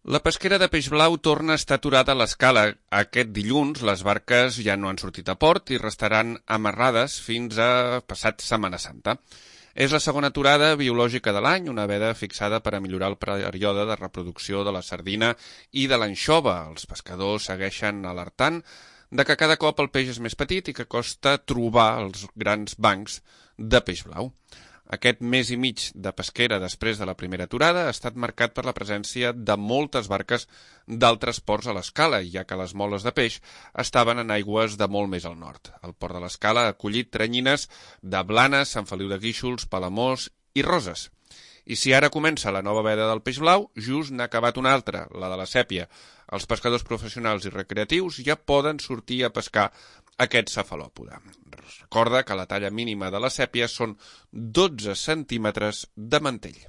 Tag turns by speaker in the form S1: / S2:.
S1: La pesquera de peix blau torna a estar aturada a l'escala. Aquest dilluns les barques ja no han sortit a port i restaran amarrades fins a passat Setmana Santa. És la segona aturada biològica de l'any, una veda fixada per a millorar el període de reproducció de la sardina i de l'anxova. Els pescadors segueixen alertant de que cada cop el peix és més petit i que costa trobar els grans bancs de peix blau. Aquest mes i mig de pesquera després de la primera aturada ha estat marcat per la presència de moltes barques d'altres ports a l'Escala, ja que les moles de peix estaven en aigües de molt més al nord. El port de l'Escala ha acollit teranyines de Blanes, Sant Feliu de Guíxols, Palamós i Roses. I si ara comença la nova veda del peix blau, just n'ha acabat una altra, la de la sèpia. Els pescadors professionals i recreatius ja poden sortir a pescar aquest cefalòpode. Recorda que la talla mínima de la sèpia són 12 centímetres de mantell.